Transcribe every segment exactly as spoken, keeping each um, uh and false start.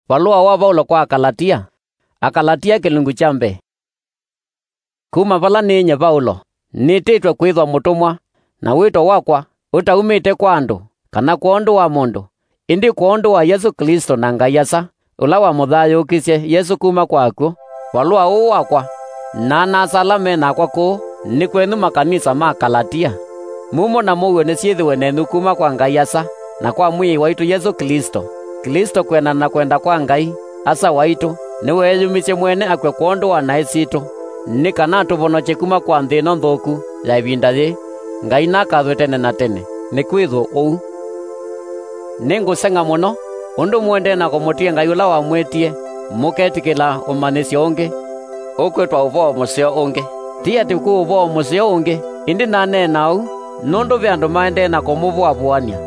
Valũa wa Vaulo kwa Akalatia. Akalatia kĩlungu kya mbee. Kuma vala nĩĩ nye Vaulo, nĩtĩtwe kwĩthwa mũtũmwa, na wĩto wakwa ũtaumĩte kwa andũ, kana kwondũ wa mũndũ, ĩndĩ kwondũ wa Yesũ Klĩsto na Ngai Asa, ũla wamũthayũũkisye Yesũ kuma kwa akw'ũ. Valũa ũũ wakwa, na ana-a-asa ala me nakwa kũũ, nĩ kwenyu makanisa ma Kalatia. Mumo na mũuo nĩsyĩthĩwe nenyu kuma kwa Ngai Asa, na kwa Mwĩai waitũ Yesũ Klĩsto. Klĩsto kwĩanana na kwenda kwa Ngai, Asa waitũ, nĩweeyumisye mwene akw'a kwondũ wa naĩ sitũ, nĩ kana atũvonokye kuma kwa nthĩ ĩno nthũku ya ĩvinda yĩĩ, Ngai nakathwe tene na tene. Nĩkwĩthwe ũu. Nĩngũseng'a mũno, ũndũ mũendee na kũmũtia Ngai ũla wamwĩtie, mũketĩkĩla ũmanyĩsyo ũngĩ, ũkwĩtwa ũvoo mũseo ũngĩ. Ti atĩ kwĩ ũvoo mũseo ũngĩ, ĩndĩ naneena ũu, nũndũ ve andũ maendee na kũmũvũavũany'a,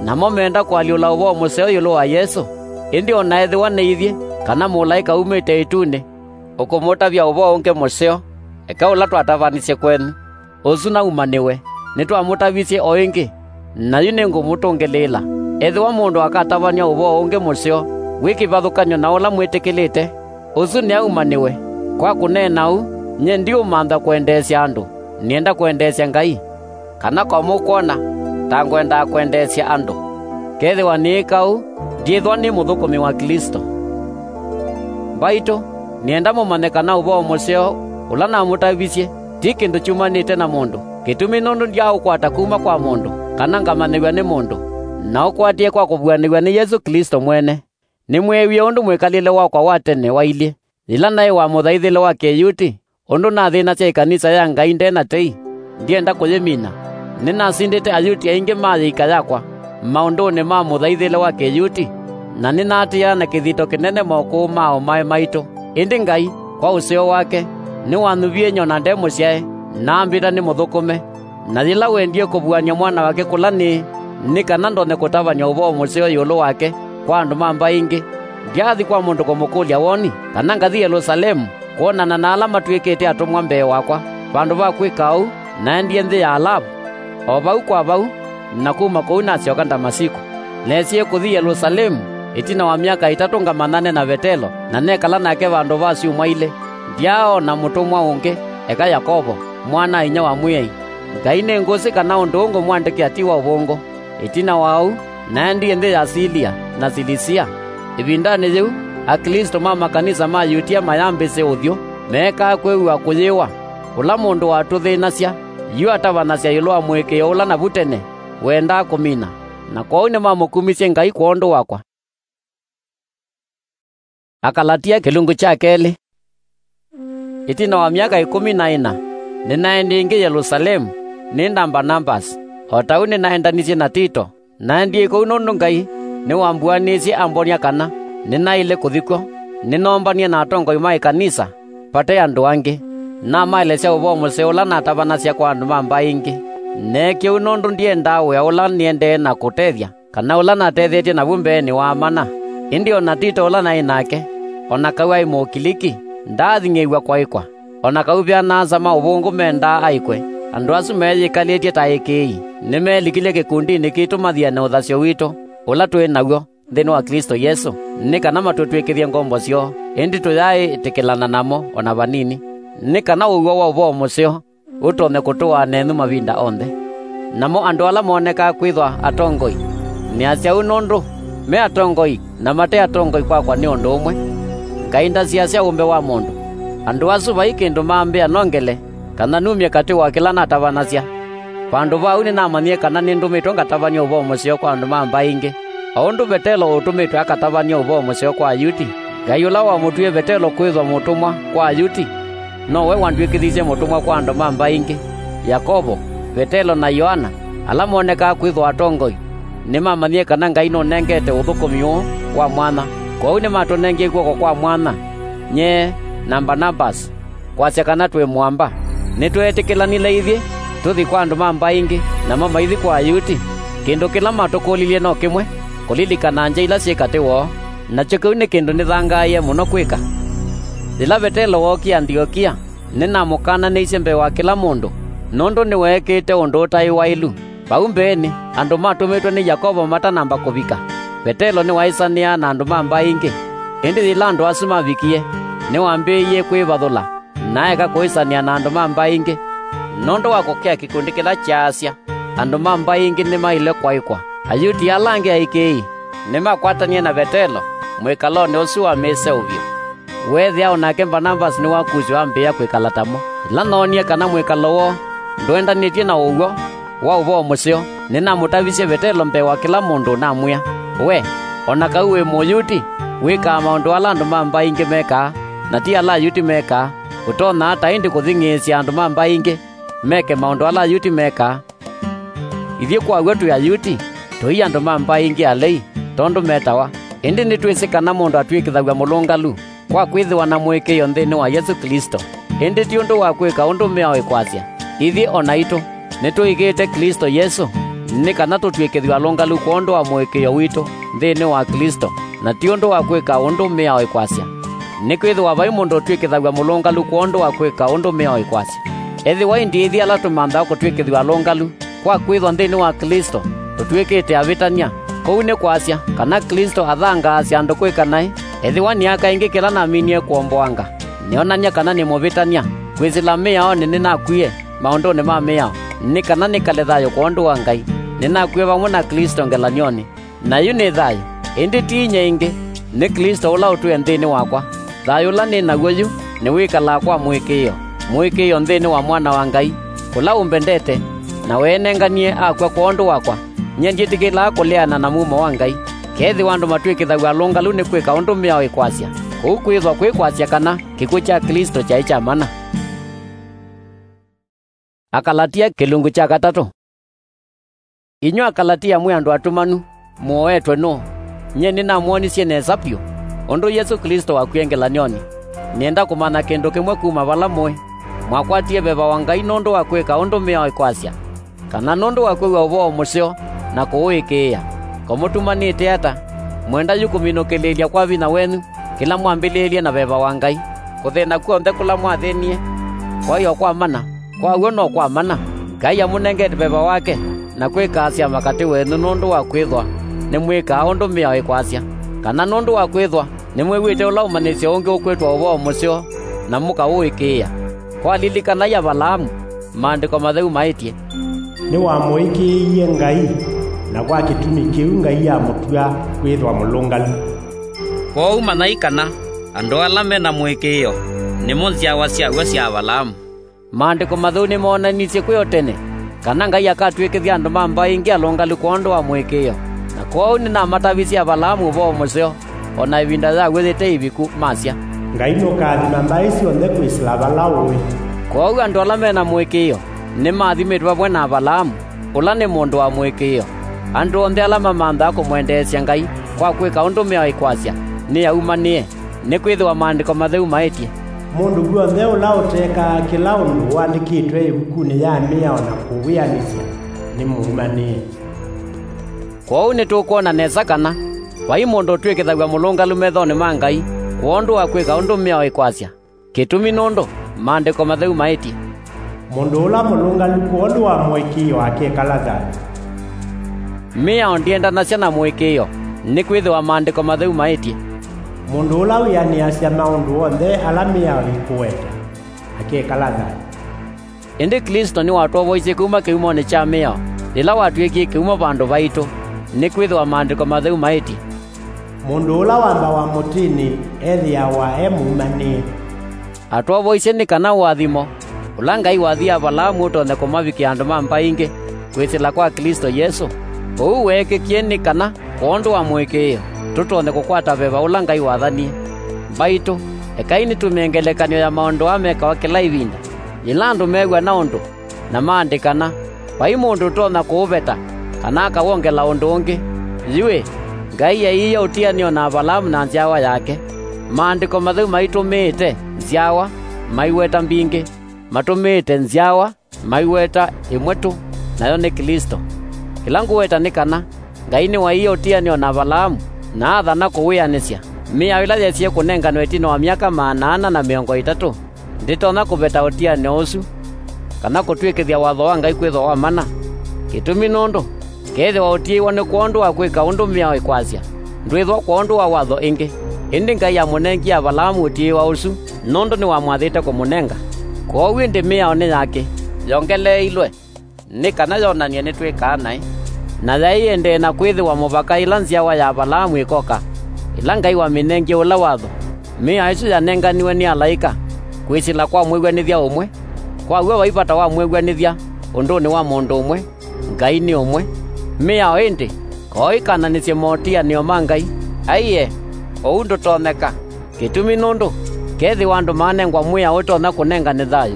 namo meenda kũalyũla ũvoo mũseo ĩũlũ wa Yesũ. Ĩndĩ o na ethĩwa nĩ ithyĩ, kana mũlaĩka umĩte ĩtunĩ, ũkũmũtavya ũvoo ũngĩ mũseo, eka ũla twatavanisye kwenyu, ũsu naumanĩwe. Nĩtwamũtavisye o ĩngĩ, na yu nĩngũmũtũngĩlĩĩla. Ethĩwa mũndũ akatavany'a ũvoo ũngĩ mũseo wĩ kĩvathũkany'o na ũla mwĩtĩkĩlĩte, ũsu nĩaumanĩwe. Kwa kũneena ũu, nyie ndiũmantha kwendeesya andũ, nĩenda kwendeesya Ngai, kana kwa mũkwona ta ngwendaa kwendeesya andũ. Kethĩwa nĩĩka ũu, ndyĩthwa nĩ mũthũkũmi wa Klĩsto. Mbaitũ, nĩenda mũmanye kana ũvoo mũseo ũla namũtavisye ti kĩndũ kyumanĩte na mũndũ, kĩtumi nũndũ ndyaaũkwata kuma kwa mũndũ, kana ngamanyĩw'a nĩ mũndũ, naũkwatie kwa kũvuanĩw'a nĩ Yesũ Klĩsto mwene. Nĩmweewie ũndũ mwĩkalĩle wakwa wa tene wailyĩ, yĩla naĩ wa mũthaithĩle wa Kĩyuti, ũndũ nathĩnasya ĩkanisa ya Ngai nde na tei, ndyenda kũyĩmina. Nĩnasindĩte Ayuti aingĩ ma yĩika yakwa maũndũnĩ ma mũthaithĩle wa Kĩyuti, na nĩnaatĩĩaa na kĩthito kĩnene mokũũ ma ũmae maitũ. Ĩndĩ Ngai, kwa ũseo wake, nĩwanyuvie nyona nde mũsyae, na ambĩta nĩmũthũkũme. Na yĩla wendie kũvuany'a mwana wake kũla nĩĩ, nĩ kana ndonye kũtavany'a ũvoo mũseo ĩũlũ wake kwa andũ ma mbaĩ ingĩ, ndyaathi kwa mũndũ kũmũkũlya woni, kana ngathi Yelusalemu kwonana na ala matw'ĩkĩte atũmwa mbee wakwa. Vandũ va kwĩka ũu, naendie nthĩ ya Alavu, o vau kwa vau, na kuma kũu nasyoka Ndamasiko. Nesie kũthi Yelusalemu ĩtina wa myaka ĩtatũ ngamanyane na Vetelo, na nekala nake vandũ va syumwa ilĩ. Ndyaaona mũtũmwa ũngĩ, eka Yakovo, mwana-a-inyia wa Mwĩai. Ngai nĩ ngũsĩ kana ũndũ ũũ ngũmwandĩkĩa ti wa ũvũngũ. Ĩtina wa ũu, naendie nthĩ ya Silia na Silisia. Ĩvindanĩ yĩu, Aklĩsto ma makanisa ma Yutia mayambĩsye ũthyũ, meekaa kwĩw'a kũyĩwa. Ũla mũndũ watũthĩnasya, yu atavanasya ĩũlũ wa mũĩkĩĩo ũla navu tene wendaa kũmina, na kwoou nĩmamũkumisye Ngai kwondũ wakwa. Akalatia kĩlungu kya kelĩ. Ĩtina wa myaka ĩkũmi na ĩna, nĩnaendie ĩngĩ Yelusalemu nĩ na Mbanavasi, o ta ũu nĩnaendanisye na Tito. Naendie kũu nũndũ Ngai nĩwambuanĩisye ambonia kana nĩnaĩle kũthi kw'o. Nĩnoombanie na atongoi ma ĩkanisa vate andũ angĩ. Namaelesya ũvoo mũseo ũla natavanasya kwa andũ ma mbaĩ ingĩ. Neekie ũu nũndũ ndyendaa wĩa ũla nĩendee na kũtethya, kana ũla natethetye navu mbeenĩ wa mana. Ĩndĩ o na Tito ũla naĩ nake, o na kau aĩ Mũkiliki, ndaathing'ĩĩw'a kwaĩkwa. O na kau ve ana-a-asa ma ũvũngũ mendaa aĩkwe, andũ asu meeyĩkalĩtye ta aĩkĩĩi nĩmeelikilye kĩkundinĩ kitũ mathiane ũthasyo witũ ũla twĩ naw'o nthĩnĩ wa Klĩsto Yesũ, nĩ kana matũtw'ĩkĩthye ngombo syoo, ĩndĩ tũyaaĩtĩkĩlana namo o na vanini, nĩ kana ũw'o wa ũvoo mũseo ũtonye kũtũaa nenyu mavinda onthe. Namo andũ ala monekaa kwĩthwa atongoi, nĩasya ũu nũndũ me atongoi na mate atongoi kwakwa nĩ ũndũ ũmwe. Ngai ndasiasya ũmbe wa mũndũ. Andũ asu vai kĩndũ mambĩa nongele kana numye katĩ wa kĩla natavanasya. Vandũ va ũu nĩnamanyie kana nĩndũmĩtwe ngatavany'e ũvoo mũseo kwa andũ ma mbaĩ ingĩ. O ũndũ Vetelo ũtũmĩtwe akatavany'e ũvoo mũseo kwa Ayuti, Ngai ũla wamũtwie Vetelo kwĩthwa mũtũmwa kwa Ayuti, nowe wandw'ĩkĩthisye mũtũmwa kwa andũ ma mbaĩ ingĩ. Yakovo, Vetelo na Yoana, ala monekaa kwĩthwa atongoi, nĩmamanyie kana Ngai nũnengete ũthũkũmi ũũ wa mwanya. Kwoou nĩmatũnengie kw'oko kwa mwanya, nyie na Mbanavasi, kwasya kana twĩ mũamba. Nĩtweetĩkĩlanile ithyĩ tũthi kwa andũ ma mbaĩ ingĩ, namo maithi kwa Ayuti. Kĩndũ kĩla matũkũlilye no kĩmwe, kũlilikana ngya ila syĩ katĩ woo, nakyo kĩu nĩ kĩndũ nĩthangaaie mũno kwĩka. Yĩla Vetelo wookie Antiokia, nĩnamũkananĩisye mbee wa kĩla mũndũ, nũndũ nĩweekĩte ũndũ ũtaĩ waĩlu. Vau mbeenĩ, andũ matũmĩtwe nĩ Yakovo matanamba kũvika, Vetelo nĩwaĩsanĩaa na andũ ma mbaĩ ingĩ. Ĩndĩ yĩla andũ asu mavikie, nĩwambĩĩie kwĩvathũla, na aeka kũĩsanĩa na andũ ma mbaĩ ingĩ, nũndũ wa kũkĩa kĩkundi kĩla kyaasya, andũ ma mbaĩ ingĩ nĩmaĩle kwaĩkwa. Ayuti ala angĩ aĩkĩĩi nĩmakwatanie na Vetelo mwĩkalonĩ ũsu wa mĩseũvyo. Weethĩa o nake Mbanavasi nĩwakusiwe ambĩĩa kwĩkala tamo. Yĩla noonie kana mwĩkalo woo ndwendanĩtye na ũw'o wa ũvoo mũseo, nĩnamũtavisye Vetelo mbee wa kĩla mũndũ, namwĩa, "We, o na kau wĩ Mũyuti, wĩkaa maũndũ ala andũ ma mbaĩ ingĩ mekaa, na ti ala Ayuti mekaa. Ũtonya ata ĩndĩ kũthing'ĩĩsya andũ ma mbaĩ ingĩ meke maũndũ ala Ayuti mekaa? Ithyĩ kwa w'o twĩ Ayuti, tũi andũ ma mbaĩ ingĩ alei, tondũ metawa. Ĩndĩ nĩtwĩsĩ kana mũndũ atw'ĩkĩthaw'a mũlũngalu kwa kwĩthĩwa na mũĩkĩĩo nthĩnĩ wa Yesũ Klĩsto, ĩndĩ ti ũndũ wa kwĩka ũndũ mĩao ĩkwasya. Ithyĩ o naitũ nĩtũĩkĩĩte Klĩsto Yesũ, nĩ kana tũtw'ĩkĩthw'e alũngalu kwondũ wa mũĩkĩĩo witũ nthĩnĩ wa Klĩsto, na ti ũndũ wa kwĩka ũndũ mĩao ĩkwasya. Nĩkwĩthĩwa vai mũndũ ũtw'ĩkĩthaw'a mũlũngalu kwondũ wa kwĩka ũndũ mĩao ĩkwasya. Ethĩwa ĩndĩ ithyĩ ala tũmanthaa kũtw'ĩkĩthw'a alũngalu kwa kwĩthwa nthĩnĩ wa Klĩsto tũtw'ĩkĩte avĩtany'a, kũu nĩ kwasya kana Klĩsto athangaasya andũ kwĩka naĩ? Ethĩwa nĩaka ĩngĩ kĩla naminie kũomboanga, nĩonany'a kana nĩ mũvĩtany'a kwĩsĩla mĩaonĩ nĩnakwie maũndũnĩ ma mĩao, nĩ kana nĩkale thayũ kwondũ wa Ngai. Nĩnakwie vamwe na Klĩsto ngelany'onĩ. Na yu nĩ thayũ, ĩndĩ ti inya ĩngĩ, nĩ Klĩsto ũla ũtwĩe nthĩnĩ wakwa. Thayũ ũla nĩ naw'o yu nĩwĩkalaa kwa mũĩkĩĩo, mũĩkĩĩo nthĩnĩ wa Mwana wa Ngai, ũla ũmbendete, na weenenganie akw'a kwondũ wakwa. Nyie ndyĩtĩkĩlaa kũleana na mumo wa Ngai. Kethĩwa andũ matw'ĩkĩthaw'a alũngalu nĩ kwĩka ũndũ mĩao ĩkwasya, kũu kwĩthwa kwĩ kwasya kana kĩkw'ũ kya Klĩsto kyaĩ kya mana. Akalatia kĩlungu kya katatũ. Inyw'ĩ Akalatia mwĩ andũ atumanu, mũoetwe nũũ? Nyie nĩnamwonisye nesa vyũ ũndũ Yesũ Klĩsto wakwie ngelany'onĩ. Nĩenda kũmanya kĩndũ kĩmwe kuma vala mũĩ. Mwakwatie veva wa Ngai nũndũ wa kwĩka ũndũ mĩao ĩkwasya, kana nũndũ wa kwĩw'a ũvoo mũseo na kũũĩkĩĩa? Ko mũtumanĩte ata? Mwenda yu kũminũkĩlĩĩlya kwa vinya wenyu kĩla mwambĩlĩĩlye na veva wa Ngai? Kũthĩna kw'onthe kũla mwathĩnie, kwaĩ o kwa mana? Kwa w'o no kwa mana. Ngai amũnengete veva wake na kwĩka syama katĩ wenyu nũndũ wa kwĩthwa nĩmwĩkaa ũndũ mĩao ĩkwasya, kana nũndũ wa kwĩthwa nĩmwĩw'ĩte ũla ũmanyĩsyo ũngĩ ũkwĩtwa ũvoo mũseo na mũkaũĩkĩĩa. Kwalilikanai Avalaamu, Maandĩko Matheu maĩtye, "Nĩwamũĩkĩĩie Ngai, na kwa kĩtumi kĩu Ngai amũtw'a kwĩthwa mũlũngalu." Kwoou manyai kana andũ ala me na mũĩkĩĩo nĩmo nzyawa syaw'o sya Avalaamu. Maandĩko Matheu nĩmoonanisye kwĩ o tene kana Ngai akatw'ĩkĩthya andũ ma mbaĩ ingĩ alũngalu kwondũ wa mũĩkĩĩo, na kwoou nĩnamatavisye Avalaamu ũvoo mũseo, o na ĩvinda yaw'o yĩte ĩviku, masya, "Ngai nũkaathima mbaĩ syonthe kwĩsĩla vala ũĩ." Kwoou andũ ala me na mũĩkĩĩo nĩmaathimĩtwe vamwe na Avalaamu, ũla nĩ mũndũ wa mũĩkĩĩo. Andũ onthe ala mamanthaa kũmwendeesya Ngai kwa kwĩka ũndũ mĩao ĩkwasya, nĩaumanĩe, nĩkwĩthĩwa Maandĩko Matheu maĩtye, "Mũndũ w'onthe ũla ũtekaa kĩla ũndũ ũandĩkĩtwe ĩvukunĩ ya mĩao na kũwĩanĩsya, nĩ mũumanĩe." Kwoou nĩtũkwona nesa kana vai mũndũ ũtw'ĩkĩthaw'a mũlũngalu methonĩ ma Ngai kwondũ wa kwĩka ũndũ mĩao ĩkwasya. Kĩtumi nũndũ Maandĩko Matheu maĩtye, "Mũndũ ũla mũlũngalu kwondũ wa mũĩkĩĩo akekala thayũ." Mĩao ndyendanasya na mũĩkĩĩo, nĩkwĩthĩwa Maandĩko Matheu maĩtye, "Mũndũ ũla wĩanĩasya maũndũ onthe ala mĩao ĩkũweta, akekala thayũ." Ĩndĩ Klĩsto nĩwatwovoisye kuma kĩumonĩ kya mĩao, yĩla watw'ĩkie kĩumo vandũ vaitũ, nĩkwĩthĩwa Maandĩko Matheu maĩtye, "Mũndũ ũla wambawa mũtĩnĩ ethĩawa e mũumanĩe." Atwovoisye nĩ kana ũathimo ũla Ngai wathie Avalaamu ũtonye kũmavikĩa andũ ma mbaĩ ingĩ kwĩsĩla kwa Klĩsto Yesũ. Ũu weekĩkie nĩ kana kwondũ wa mũĩkĩĩo, tũtonye kũkwata veva ũla Ngai wathanie. Mbaitũ, ekai nĩtũmĩe ngelekany'o ya maũndũ aa mekawa kĩla ĩvinda. Yĩla andũ meew'a na ũndũ na maandĩkana, vai mũndũ ũtonya kũũveta kana akawongela ũndũ ũngĩ. Yu-ĩ, Ngai eeie ũtianĩo na Avalaamu na nzyawa yake. Maandĩko Matheu maitũmĩĩte nzyawa, maiweta mbingĩ. Matũmĩĩte nzyawa, maiweta ĩmwe tũ, nayo nĩ Klĩsto. Kĩla ngũweta nĩ kana Ngai nĩwaeie ũtianĩo na Avalaamu, na athana kũwĩanĩsya. Mĩao ĩla yesie kũnenganwe ĩtina wa myaka maana ana na mĩongo ĩtatũ ndĩtonya kũveta ũtianĩo ũsu, kana kũtw'ĩkĩthya watho wa Ngai kwĩthwa wa mana. Kĩtumi nũndũ, kethĩwa ũtiĩwa nĩ kwondũ wa kwĩka ũndũ mĩao ĩkwasya, ndwĩthwa kwondũ wa watho ĩngĩ. Ĩndĩ Ngai amũnengie Avalaamu ũtiĩwa ũsu nũndũ nĩwamwathĩte kũmũnenga. Kwoou ĩndĩ mĩao nĩ ya kĩ? Yongeleeilwe nĩ kana yonany'e nĩtwĩkaa naĩ. Na yaĩ ĩendee na kwĩthĩwa mũvaka ĩla nzyawa ya Avalaamu ĩkoka, ĩla Ngai wamĩnengie ũla watho. Mĩao ĩsu yanenganiwe nĩ alaĩka kwĩsĩla kwa mwĩw'anĩthya ũmwe. Kwa w'o vai vata wa mwĩw'anĩthya ũndũnĩ wa mũndũ ũmwe. Ngai nĩ ũmwe. Mĩao ĩndĩ, koo ĩkananĩsye motĩanĩo ma Ngai. Aiee, ũu ndũtonyeka. Kĩtumi nũndũ, kethĩwa andũ maanengwa mwĩao ũtonya kũnengane thayũ,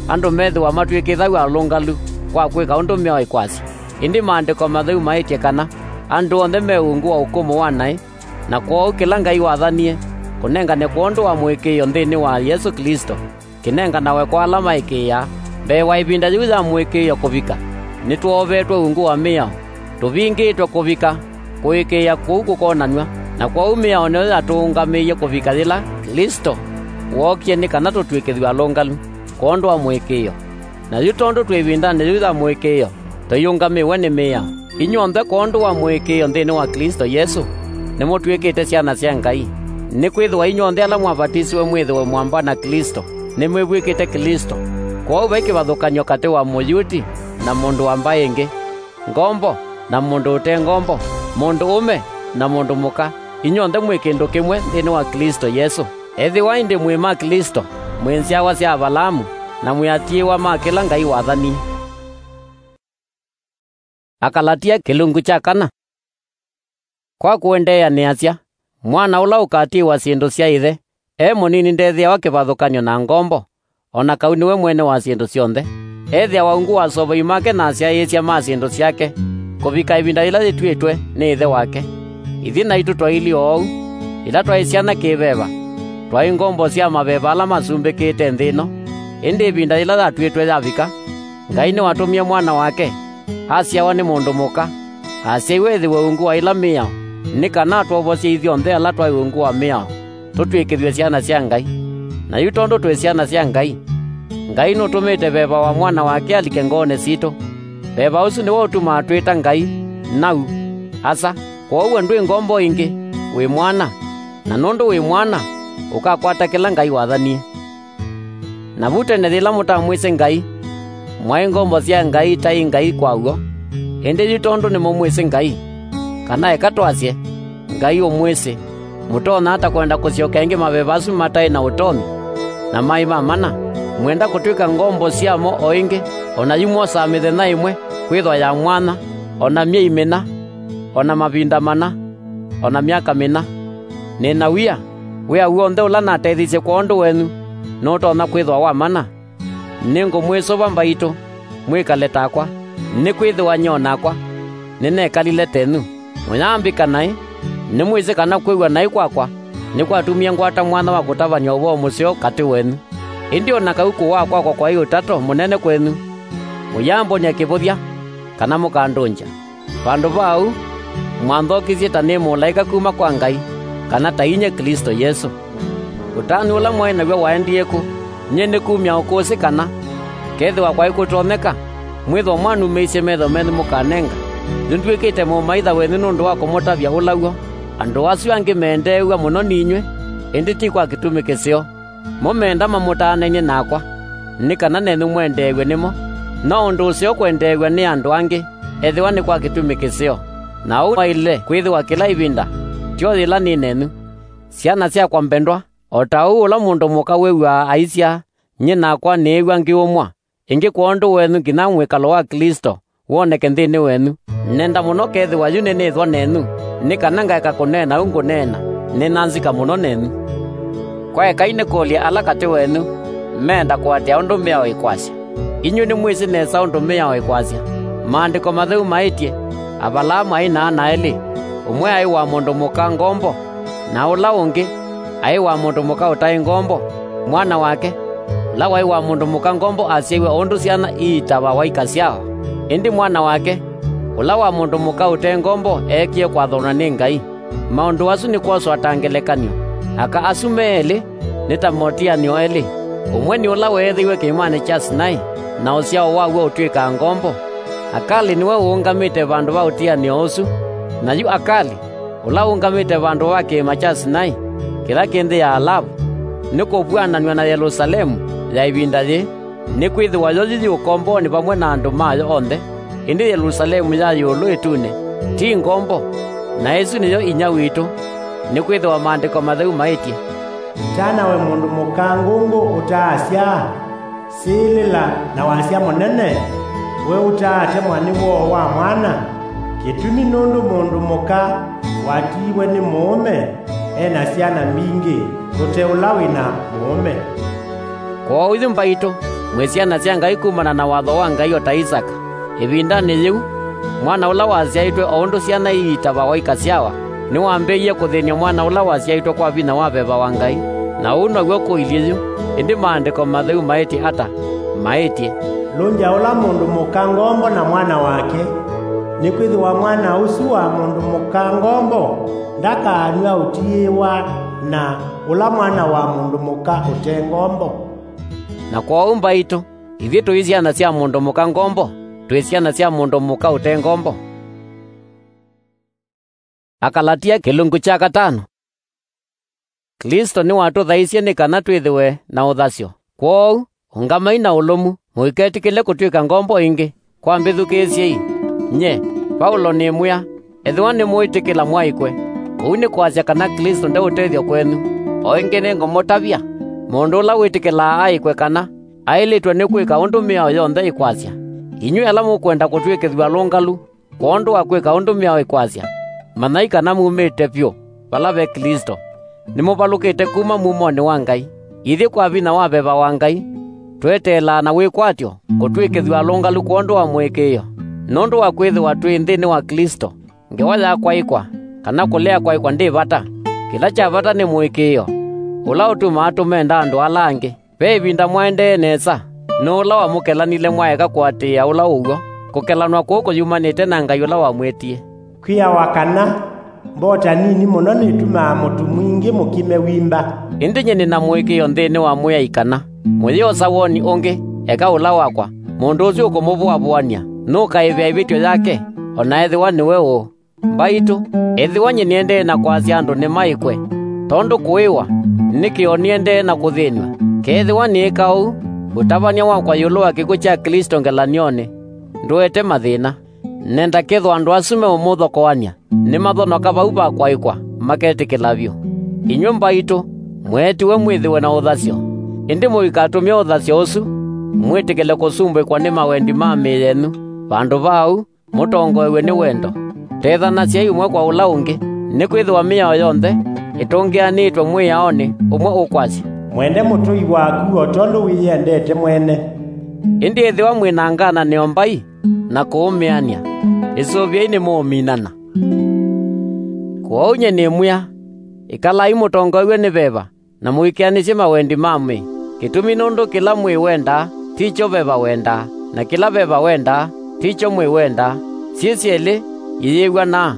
andũ methĩwa matw'ĩkĩthaw'a alũngalu kwa kwĩka ũndũ mĩao ĩkwasya. Ĩndĩ Maandĩko Matheu maĩtye kana andũ onthe me ungu wa ũkũmũ wa naĩ, na kwoou kĩla Ngai wathanie kũnengane kwondũ wa mũĩkĩĩo nthĩnĩ wa Yesũ Klĩsto, kĩnenganawe kwa ala maĩkĩĩaa. Mbee wa ĩvinda yĩu ya mũĩkĩĩo kũvika, nĩtwoovetwe ungu wa mĩao, tũvingĩtwe kũvika kũĩkĩĩa kũu kũkonanw'a. Na kwoou mĩao nĩyo yatũũngamĩie kũvika yĩla Klĩsto wookie nĩ kana tũtw'ĩkĩthw'e alũngalu kwondũ wa mũĩkĩĩo. Na yu tondũ twĩ ĩvindanĩ yĩu ya mũĩkĩĩo, tũiũngamĩwe nĩ mĩao. Inyw'onthe kwondũ wa mũĩkĩĩo nthĩnĩ wa Klĩsto Yesũ, nĩmũtw'ĩkĩte syana sya Ngai. Nĩkwĩthĩwa inyw'onthe ala mwavatisiwe mwĩthĩwe mwamba na Klĩsto, nĩmwĩvw'ĩkĩte Klĩsto. Kwoou vai kĩvathũkany'o katĩ wa Mũyuti na mũndũ wa mbaĩ ĩngĩ, ngombo na mũndũ ũte ngombo, mũndũ ũme na mũndũ mũka, inyw'onthe mwĩ kĩndũ kĩmwe nthĩnĩ wa Klĩsto Yesũ. Ethĩwa ĩndĩ mwĩ ma Klĩsto, mwĩ nzyawa sya Avalaamu, na mwĩ atiĩwa ma kĩla Ngai wathanie. Akalatia kĩlungu kya kana. Kwa kũendeea nĩasya, mwana ũla ũkatiĩwa syĩndũ sya ĩthe e mũnini ndethĩawa kĩvathũkany'o na ngombo, o na kau nĩwe mwene wa syĩndũ syonthe. Ethĩawa ungu wa asovoi make na asyaĩĩsya ma syĩndũ syake, kũvika ĩvinda yĩla yĩtw'ĩtwe nĩ ĩthe wake. Ithyĩ naitũ twailyĩ oou, yĩla twaĩ syana kĩ-veva, twaĩ ngombo sya maveva ala masumbĩkĩte nthĩ ĩno. Ĩndĩ ĩvinda yĩla yatw'ĩtwe yavika, Ngai nĩwatũmie Mwana wake, asyawa nĩ mũndũ mũka, asyaiwe ethĩwe ungu wa ĩla mĩao, nĩ kana atwovosye ithyonthe ala twaĩ ungu wa mĩao, tũtw'ĩkĩthw'e syana sya Ngai. Na yu tondũ twĩ syana sya Ngai, Ngai nũtũmĩte veva wa Mwana wake alike ngoonĩ sitũ. Veva ũsu nĩw'o ũtumaa twĩta Ngai, Nau, Asa. Kwoou we ndwĩ ngombo ĩngĩ, wĩ mwana, na nũndũ wĩ mwana, ũkakwata kĩla Ngai wathanie. Na vu tene yĩla mũtamwĩsĩ Ngai, mwaĩ ngombo sya Ngai itaĩ Ngai kwa w'o. Ĩndĩ yu tondũ nĩmũmwĩsĩ Ngai, kana eka twasye, Ngai ũmwĩsĩ, mũtonya ata kwenda kũsyoka ĩngĩ maveva asu mataĩ na ũtonyi, na maĩ ma mana? Mwenda kũtw'ĩka ngombo syamo o ĩngĩ, o na yu mwosaa mĩthenya ĩmwe kwĩthwa ya mwanya, o na myei mĩna, o na mavinda mana, o na myaka mĩna? Nĩ na wia, wĩa w'onthe ũla natethisye kwondũ wenyu nũtonya kwĩthwa wa mana? Nĩngũmwĩsũva mbaitũ, mwĩkale takwa, nĩkwĩthĩwa nyie o nakwa nĩnekalile tenyu. Mũyambĩka naĩ, nĩmwĩsĩ kana kwĩw'a naĩ kwakwa nĩkwatumie ngwata mwanya wa kũtavany'a ũvoo mũseo katĩ wenyu. Ĩndĩ o na kau kũwaa kwakwa kwaĩ ũtato mũnene kwenyu, mũyambony'a kĩvũthya kana mũkandũngya. Vandũ va ũu, mwanthokisye ta nĩ mũlaĩka kuma kwa Ngai, kana ta inyie Klĩsto Yesũ. Ũtanu ũla mwaĩ naw'o waendie kũ? Nyie nĩ kumya ũkũsĩ kana, kethĩwa kwaĩ kũtonyeka, mwĩthwa mwanumĩisye metho menyu mũkanenga. Nĩndw'ĩkĩte mũmaitha wenyu nũndũ wa kũmũtavya ũla w'o. Andũ asu angĩ meendeew'a mũno ninyw'ĩ, ĩndĩ ti kwa kĩtumi kĩseo. Mo meenda mamũtaananie nakwa, nĩ kana nenyu mwendeew'e nĩmo. No ũndũ ũseo kwendeew'a nĩ andũ angĩ, ethĩwa nĩ kwa kĩtumi kĩseo. Na ũu waĩle kwĩthĩwa kĩla ĩvinda, tyo yĩla nĩ nenyu. Syana syakwa mbendwa, o ta ũu ũla mũndũ mũka wĩw'aa aisyaa, nyie nakwa nĩĩw'a ngĩũmwa ĩngĩ kwondũ wenyu nginya mwĩkalo wa Klĩsto woneke nthĩnĩ wenyu. Nenda mũno kethĩwa yu nĩnĩthwa nenyu, nĩ kana ngaeka kũneena ũu ngũneena nĩ na nzika mũno nenyu. Kwaekai nĩkũlye ala katĩ wenyu meenda kũatĩĩa ũndũ mĩao ĩkwasya. Inyw'ĩ nĩmwĩsĩ nesa ũndũ mĩao ĩkwasya. Maandĩko Matheu maĩtye, Avalaamu aĩ na ana elĩ, ũmwe aĩ wa mũndũ mũka ngombo, na ũla ũngĩ aĩ wa mũndũ mũka ũtaĩ ngombo, mwana wake, ũla waĩ wa mũndũ mũka ngombo asyaiwe o ũndũ syana iitawa waika syao. Ĩndĩ mwana wake, ũla wa mũndũ mũka ũte ngombo eekie kwathonwa nĩ Ngai. Maũndũ asu nĩ kwoswa ta ngelekany'o. Aka asu me elĩ nĩ ta motĩanĩo elĩ. Ũmwe nĩ ũla weethĩiwe kĩĩmanĩ kya Sinai, na ũsyao waw'o ũtw'ĩkaa ngombo. Akali nĩwe ũũngamĩte vandũ va ũtianĩo ũsu. Na yu Akali, ũla ũũngamĩte vandũ va kĩĩma kya Sinai, kĩla kĩ nthĩ ya Alavu, nĩkũvw'ananw'a na Yelũsalemu ya ĩvinda yĩĩ, nĩkwĩthĩwa yo yĩ ũkombonĩ vamwe na andũ mayo onthe. Ĩndĩ Yelũsalemu ya ĩũlũ ĩtunĩ ti ngombo, na ĩsu nĩyo inyia witũ, nĩkwĩthĩwa Maandĩko Matheu maĩtye, "Tanawe mũndũ mũka ngũngũ ũtaasyaa, sĩlĩla na wasya mũnene, we ũtaatemwa nĩ woo wa mwana. Kĩtumi nũndũ mũndũ mũka watiiwe nĩ mũũme e na syana mbingĩ, tũte ũla wĩ na mũũme." Kwoou yu mbaitũ, mwĩ syana sya Ngai kumana na watho wa Ngai, o ta Isaka. Ĩvindanĩ yĩu, mwana ũla wasyaĩtwe o ũndũ syana iitavawa ikasyawa, nĩwambĩĩie kũthĩny'a mwana ũla wasyaĩtwe kwa vinya wa veva wa Ngai. Na ũu now'o kũilyĩ yu. Ĩndĩ Maandĩko Matheu maĩtye ata? Maĩtye, "Lũngya ũla mũndũ mũka ngombo na mwana wake, nĩkwĩthĩwa mwana ũsu wa mũndũ mũka ngombo ndakanw'a ũtiĩwa na ũla mwana wa mũndũ mũka ũte ngombo." Na kwoou mbaitũ, ithyĩ tũi syana sya mũndũ mũka ngombo, twĩ syana sya mũndũ mũka ũte ngombo. Akalatia kĩlungu kya katano. Klĩsto nĩwatũthaisye nĩ kana twĩthĩwe na ũthasyo. Kwoou, ũngamai na ũlũmu, mũiketĩkĩle kũtw'ĩka ngombo ĩngĩ. Kwa mbĩthukĩĩsyei, nyie, Vaulo, nĩmwĩa, ethĩwa nĩmwĩtĩkĩla mwaĩkwe, ũu nĩ kwasya kana Klĩsto nde ũtethyo kwenyu. O ĩngĩ nĩngũmũtavya, mũndũ ũla wĩtĩkĩlaa aĩkwe kana aĩlĩtwe nĩ kwĩka ũndũ mĩao yonthe ĩkwasya. Inyw'ĩ ala mũkwenda kũtw'ĩkĩthw'a alũngalu kwondũ wa kwĩka ũndũ mĩao ĩkwasya, manyai kana mumĩte vyũ vala ve Klĩsto, nĩmũvalũkĩte kuma mumonĩ wa Ngai. Ithyĩ kwa vinya wa veva wa Ngai, tweteelaa na wĩkwatyo kũtw'ĩkĩthw'a alũngalu kwondũ wa mũĩkĩĩo. Nũndũ wa kwĩthĩwa twĩ nthĩnĩ wa Klĩsto, ngewa ya kwaĩkwa kana kũlea kwaĩkwa ndĩ vata. Kĩla kya vata nĩ mũĩkĩĩo, ũla ũtumaa tũmenda andũ ala angĩ. Ve ĩvinda mwaendee nesa, nũũ ũla wamũkelanile mwaeka kũatĩĩa ũla ũw'o? Kũkelanwa kũu kũyumanĩte na Ngai ũla wamwĩtie. Kwĩawa kana, "Mbota nini mũno nĩtumaa mũtu mwingĩ mũkime wimba." Ĩndĩ nyie nĩ na mũĩkĩĩo nthĩnĩ wa Mwĩai kana, mũyĩosa woni ũngĩ, eka ũla wakwa, mũndũ ũsu ũkũmũvũavũany'a nũkaĩvĩa ĩvĩtyo yake, o na ethĩwa nĩwe ũũ. Mbaitũ, ethĩwa nyie nĩendee na kwasya andũ nĩmaĩkwe, tondũ kũĩwa nĩ kĩoo nĩendee na kũthĩnw'a. Kethĩwa nĩĩka ũu, ũtavany'a wakwa ĩũlũ wa kĩkw'ũ kya Klĩsto ngelany'onĩ ndũete mathĩna. Nenda kethwa andũ asu meũmũthokoany'a nĩmathonoka vau va kwaĩkwa, maketĩkĩla vyũ. Inyw'ĩ mbaitũ, mweetiwe mwĩthĩwe na ũthasyo, ĩndĩ mũikatũmĩe ũthasyo ũsu mwĩtĩkĩle kũsumbĩkwa nĩ mawendi ma mĩĩ yenyu. Vandũ va ũu, mũtongoew'e nĩ wendo. Tethanasyai ũmwe kwa ũla ũngĩ, nĩkwĩthĩwa mĩao yonthe ĩtũngĩanĩtwe mwĩaonĩ ũmwe ũkwasya, "Mwende mũtũi waku o tondũ wĩyendete mwene." Ĩndĩ ethĩwa mwĩ na ngananĩo mbai na kũũmĩanĩa, ĩsũvĩei nĩmũũminana. Kwoou nyie nĩmwĩa, ĩkalai mũtongoew'e nĩ veva, na mũikĩanĩsye mawendi ma mwĩĩ. Kĩtumi nũndũ kĩla mwĩĩ wendaa ti kyo veva wendaa, na kĩla veva wendaa ti kyo mwĩĩ wendaa. Syĩ syelĩ iyĩw'anaa,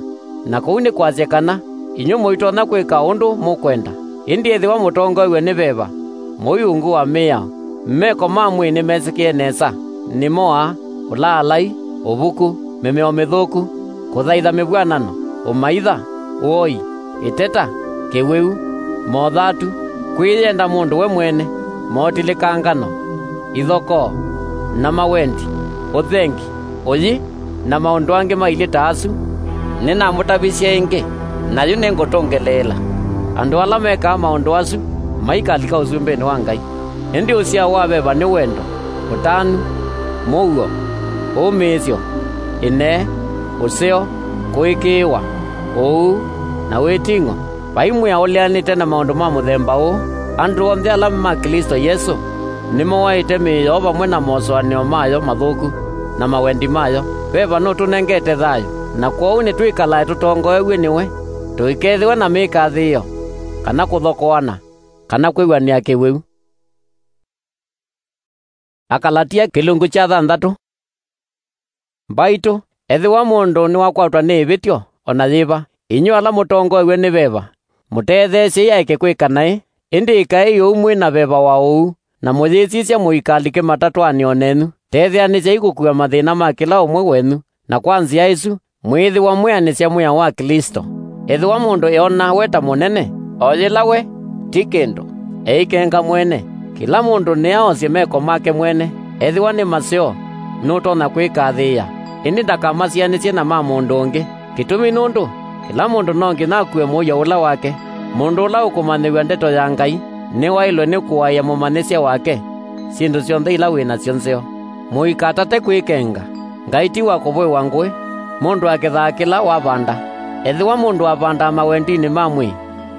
na kũu nĩ kwasya kana inyw'ĩ mũitonya kwĩka ũndũ mũkwenda. Ĩndĩ ethĩwa mũtongoew'e nĩ veva, mũi ungu wa mĩao. Meko ma mwĩĩ nĩmesĩkĩe nesa, nĩmo aa: ũlaalai, ũvuku, mĩmeo mĩthũku, kũthaitha mĩvw'anano, ũmaitha, ũoi, ĩteta, kĩwĩu, mothatu, kwĩyenda mũndũ we mwene, motilĩkangano, ithokoo, na mawendi, ũthengi, ũyi, na maũndũ angĩ mailyĩ ta asu. Nĩnamũtavisye ĩngĩ, na yu nĩngũtũngĩlĩĩla. Andũ ala mekaa maũndũ asu maikalika ũsumbĩnĩ wa Ngai. Ĩndĩ ũsyao wa veva nĩ wendo, ũtanu, mũuo, ũmĩĩsyo, ĩnee, ũseo, kũĩkĩĩwa, ũuu, na wĩting'o. Vai mwĩao ũleanĩte na maũndũ ma mũthemba ũũ. Andũ onthe ala ma Klĩsto Yesũ nĩmoaĩte mĩĩ yoo vamwe na mosũanĩo mayo mathũku na mawendi mayo. Veva nũtũnengete thayũ, na kwoou nĩtwĩkalae tũtongoew'e nĩwe, tũikethĩwe na mĩkathĩĩo, kana kũthokoana, kana kwĩw'anĩa kĩwĩu. Akalatia kĩlungu kya thanthatũ. Mbaitũ, ethĩwa mũndũ nĩwakwatwa nĩ ĩvĩtyo o na yĩva, inyw'ĩ ala mũtongoew'e nĩ veva, mũtetheesyei aeke kwĩka naĩ, ĩndĩ ĩkaĩi ũu mwĩ na veva wa ũuu, na mũyĩsisya mũikalike matatwanĩo nenyu. Tetheanĩsyai kũkua mathĩna ma kĩla ũmwe wenyu, na kwa nzĩa ĩsu, mwĩĩthĩwa mwĩanĩsya mwĩao wa Klĩsto. Ethĩwa mũndũ eona we ta mũnene, o yĩla we ti kĩndũ. Eikenga mwene. Kĩla mũndũ nĩaosye meko make mwene, ethĩwa nĩ maseo, nũtonya kwĩkathĩĩa, ĩndĩ ndakamasianĩsye na ma mũndũ ũngĩ. Kĩtumi nũndũ kĩla mũndũ no nginya akue mũuo ũla wake. Mũndũ ũla ũkũmanyĩw'a ndeto ya Ngai nĩwaĩlwe nĩ kũaĩa mũmanyĩsya wake syĩndũ syonthe ila wĩ nasyo nzeo. Mũikatate kwĩkenga. Ngai ti wa kũvũĩwa ngũĩ. Mũndũ akethaa kĩla wavanda. Ethĩwa mũndũ avandaa mawendinĩ ma mwĩĩ,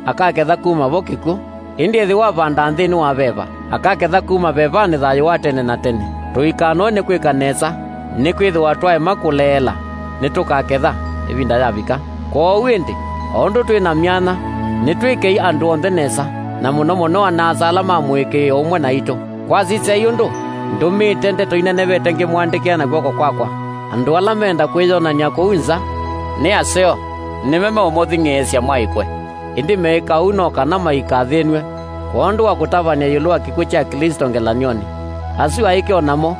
akaketha kuma vo kĩkw'ũ. Ĩndĩ ethĩwa avandaa nthĩnĩ wa veva, akaketha kuma vevanĩ thayũ wa tene na tene. Tũikanoe nĩ kwĩka nesa, nĩkwĩthĩwa twaema kũleela, nĩtũkaketha ĩvinda yavika. Kwoou ĩndĩ, o ũndũ twĩ na myanya, nĩtwĩkei andũ onthe nesa, na mũno mũno ana-a-asa ala ma mũĩkĩĩo ũmwe naitũ. Kwasisyai ũndũ ndũmĩĩte ndeto inenevete ngĩmũandĩkĩa na kw'oko kwakwa. Andũ ala menda kwĩyonany'a kũu nza nĩ aseo, nĩme meũmũthing'ĩĩsya mwaĩkwe. Ĩndĩ meĩka ũu no kana maikathĩnw'e kwondũ wa kũtavany'a ĩũlũ wa kĩkw'ũ kya Klĩsto ngelany'onĩ. Asu aĩke o namo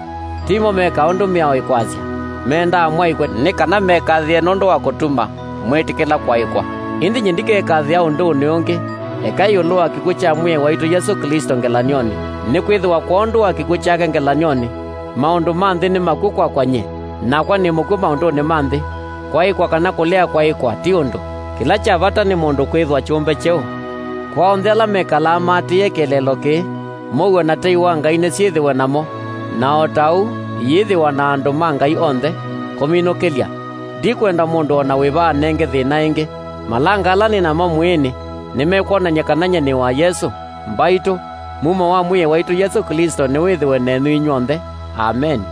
timo mekaa ũndũ mĩao ĩkwasya. Mendaa mwaĩkwe nĩ kana mekathĩĩe nũndũ wa kũtuma mwĩtĩkĩla kwaĩkwa. Ĩndĩ nyie ndikekathĩĩa ũndũnĩ ũngĩ eka ĩũlũ wa kĩkw'ũ kya Mwĩai waitũ Yesũ Klĩsto ngelany'onĩ, nĩkwĩthĩwa kwondũ wa kĩkw'ũ kyake ngelany'onĩ, maũndũ ma nthĩ nĩ makw'ũ kwakwa nyie, nakwa nĩ mũkw'ũ maũndũnĩ ma nthĩ. Kwaĩkwa kana kũlea kwaĩkwa ti ũndũ. Kĩla kya vata nĩ mũndũ kwĩthwa kyũmbe kyeũ. Kwa onthe ala mekalaa maatĩĩe kĩeleelo kĩĩ, mũuo na tei wa Ngai nĩsyĩthĩwe namo, na o ta ũu iyĩthĩwa na andũ ma Ngai onthe. Kũminũkĩlya, ndikwenda mũndũ o na wĩva anenge thĩna ĩngĩ. Malanga ala nĩ namo mwĩĩnĩ nĩmekwonany'a kana nyie nĩ wa Yesũ. Mbaitũ, mumo wa Mwĩai waitũ Yesũ Klĩsto nĩwĩthĩwe nenyu inyw'onthe. Ameni.